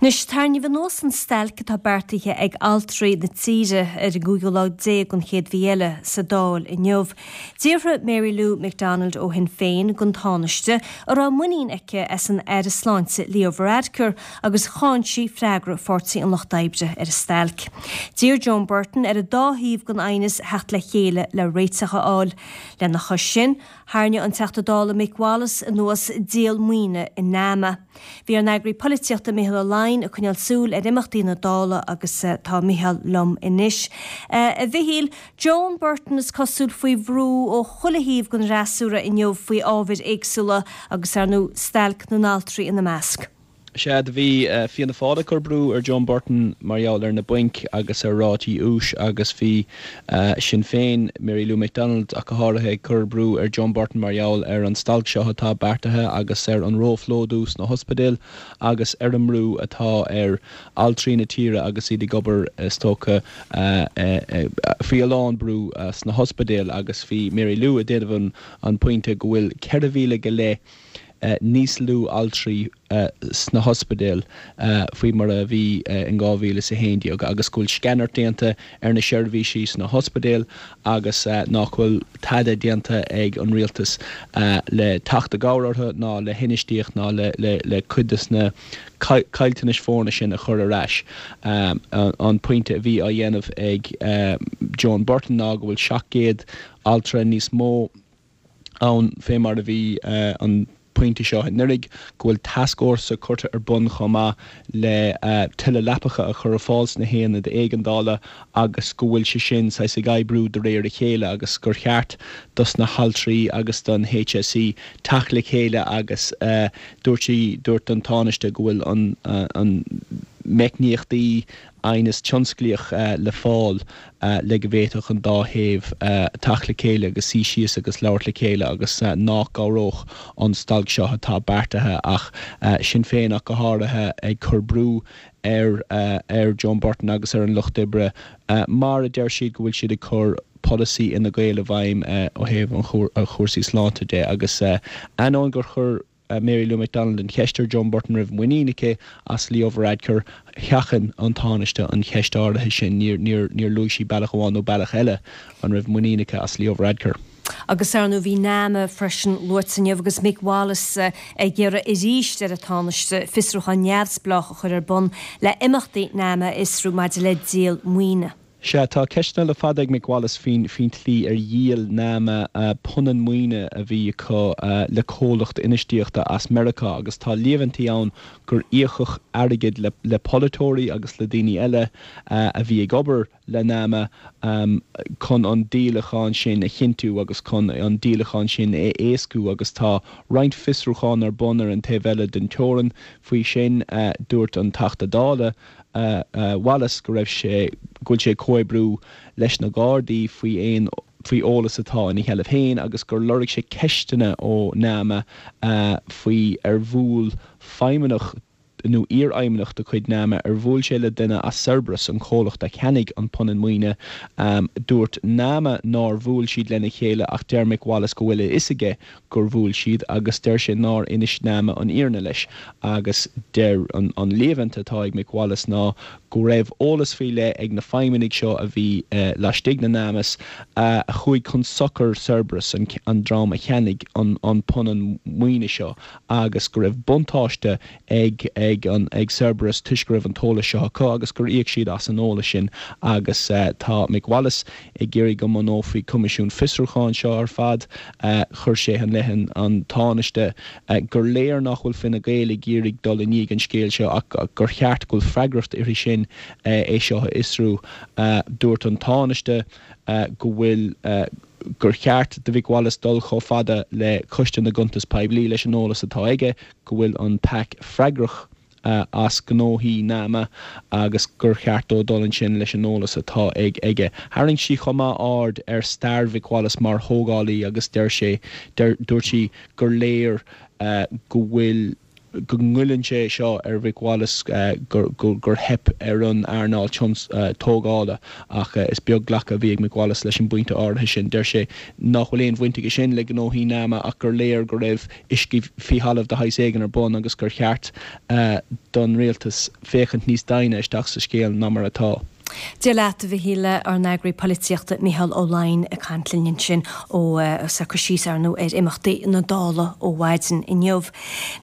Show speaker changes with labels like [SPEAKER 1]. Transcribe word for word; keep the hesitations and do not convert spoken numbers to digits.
[SPEAKER 1] Anois tarraingíodh anuas an stailc atá beartaithe ag altraí na tíre ar an gcúigiú lá déag den chéad mhí eile sa Dáil inniu. D'fhiafraigh Mary Lou McDonald ó Shinn Féin den Tánaiste an raibh muinín aici as an Aire Sláinte Leo Varadkar agus cháin sí freagra Pháirtí an Lucht Oibre ar an stailc. D'iarr Joan Burton ar an dá thaobh den aighneas theacht le chéile le réiteach a fháil. Lena chois sin, tharraing an Teachta Dála Mick Wallace anuas díol maoine in NAMA. Bhí ár n-eagraí polaitíochta Micheál Ó Laighin ag coinneáil súil ar imeachtaí na Dála agus uh, tá Micheál liom anois. Uh, a Mhichíl, Joan Burton is cosúil faoi bhrú ó chuile thaobh den fhreasúra inniu faoi ábhair éagsúla agus ar ndóigh stailc na n-altraí ina measc.
[SPEAKER 2] Sea bhí uh, Fianna Fáil ag cur brú ar Joan Burton mar gheall ar na bainc agus ar rátaí úis agus bhí uh, Sinn Féin Mary Lou McDonald ach go háirithe ag cur brú ar Joan Burton mar gheall ar an stailc seo atá beartaithe agus ar an róphlódú sna hospidéil agus ar an mbrú atá ar altraí na tíre agus iad ag obair is dócha uh, uh, uh, faoi a lán brú uh, sna hospidéil agus bhí Mary Lou ag déanamh an, an pointe go bhfuil ceithre mhíle go leith uh, níos lú altraí uh, sna hospidéil uh, faoi mar a bhí uh, in dhá mhíle is a haon déag agus go bhfuil sceanairt déanta ar na seirbhísí sna hospidéil agus uh, nach bhfuil tada déanta ag an rialtas uh, le teacht i gcabhair orthu ná le hinfheistíocht ná le, le, le cuid de na caillteanais foirne sin a chur ar ais. Um, an, an pointe a bhí á dhéanamh ag uh, Joan Burton ná go bhfuil seacht gcéad altra níos mó ann fé mar a bhí uh, an pointe seo anuraidh go bhfuil tascfhórsa curtha ar bun chomh maith le uh, tuilleadh leapacha a chur ar fáil sna haonaid éigeandála agus go bhfuil sé sin saghas ag oibriú de réir a chéile agus gur cheart dos na haltraí agus don HSE teacht le chéile agus uh, dúirt sí dúirt an Tánaiste go bhfuil an, uh, an meicníochtaí aighneas tionsclaíoch uh, le fáil uh, le go bhféadfadh an dá thaobh uh, teacht le chéile agus suí síos agus labhairt le chéile agus uh, nach gcabhródh an stailc seo atá beartaithe ach uh, Sinn Féin ach go háirithe ag cur brú ar uh, ar Joan Burton agus ar an Lucht Oibre uh, mar a deir siad go bhfuil siad ag cur polasaí Fhine Gael i bhfeidhm uh, ó thaobh an chúrsaí sláinte de agus uh, ainneoin gur chuir uh, Mary Lou McDonald an cheist ar Joan Burton raibh muinín aici as Leo Varadkar sheachain an Tánaiste an cheist áirithe sin níor níor níor luaigh sí bealach amháin nó bealach eile an raibh muinín aici as Leo Varadkar.
[SPEAKER 1] Agus ar ndóigh bhí NAMA freisin luaite inniu agus Mick Wallace uh, ag iarraidh arís ar an Tánaiste fiosrúchán neamhspleách a chur ar bun le imeachtaí NAMA a fhiosrú maidir le díol maoine.
[SPEAKER 2] Sea tá ceisteanna le fada ag Mick Wallace faoin faoin tslí ar dhíol NAMA uh, punann maoine a bhí acu uh, le comhlacht infheistíochta as Meiriceá agus tá líomhaintí ann gur íocadh airgead le, le polaiteoirí agus le daoine eile uh, a bhí ag obair le NAMA um, chun an díolachán sin a chinntiú agus chun an díolachán sin a éascú agus tá roinnt fiosrúchán ar bun ar an taobh eile den teorainn faoi sin uh, dúirt an Teachta Dála uh, uh, Wallace go raibh sé go bhfuil sé comhoibriú leis na Gardaí faoi aon faoi eolas atá ina sheilbh féin agus gur lorg sé ceisteanna ó NAMA uh, faoi ar bhuail feidhmeannach nó iarfheidhmeannach de chuid NAMA ar bhuail sé le duine as Cerberus an comhlacht a cheannaigh an punann maoine um, dúirt NAMA nár bhuail siad lena chéile ach deir Mick Wallace go bhfuil a fhios aige gur bhuail siad agus deir sé nár inis NAMA an fhírinne leis agus deir an, an líomhaint atá ag Mick Wallace ná go raibh eolas faoi leith ag na feidhmeannaigh seo a bhí uh, laistigh de NAMA uh, a chuaigh chun sochair Cerberus an, an dream a cheannaigh an, an punann maoine seo agus go raibh buntáiste ag ag an ag Cerberus toisc go raibh an t-eolas seo acu agus gur íoc siad as an eolas sin agus uh, tá Mick Wallace ag iarraidh go mbunófaí coimisiún fiosrúcháin seo ar fad uh, chuir sé i leith an Tánaiste uh, gur léir nach bhfuil Fine Gael ag iarraidh dul i ndiaidh an scéil seo ach gur cheart go bhfuil freagracht uirthi sin uh, é seo a fhiosrú uh, dúirt an Tánaiste uh, go bhfuil uh, gur cheart do Mhick Wallace dul chomh fada le Coiste na gCuntas Poiblí leis an eolas atá aige go bhfuil an PAC freagrach uh, as gnóthaí NAMA agus gur cheart dó dul ansin leis an eolas atá ag aige. Tharraing sí chomh maith aird ar stair Mhick Wallace mar thógálaí agus deir sé dúirt sí gur léir uh, go bhfuil go ngoilleann sé seo ar Mhick Wallace gur gur theip ar an earnáil tógála ach is beag glacadh a bhí ag Mick Wallace leis an bpointe áirithe sin. Deir sé nach bhfuil aon bhaint aige sin le gnóthaí NAMA ach gur léir go raibh uiscí faoi thalamh de shaghas éigin ar bun agus gur cheart don rialtas féachaint níos doimhne isteach sa scéal ná mar atá.
[SPEAKER 1] Dia leat a Mhichíl ár n-eagraí polaitíochta Micheál Ó Laighin ag caint linn ansin ó sa cur síos ar nó ar imeachtaí na Dála ó mhaidin inniu.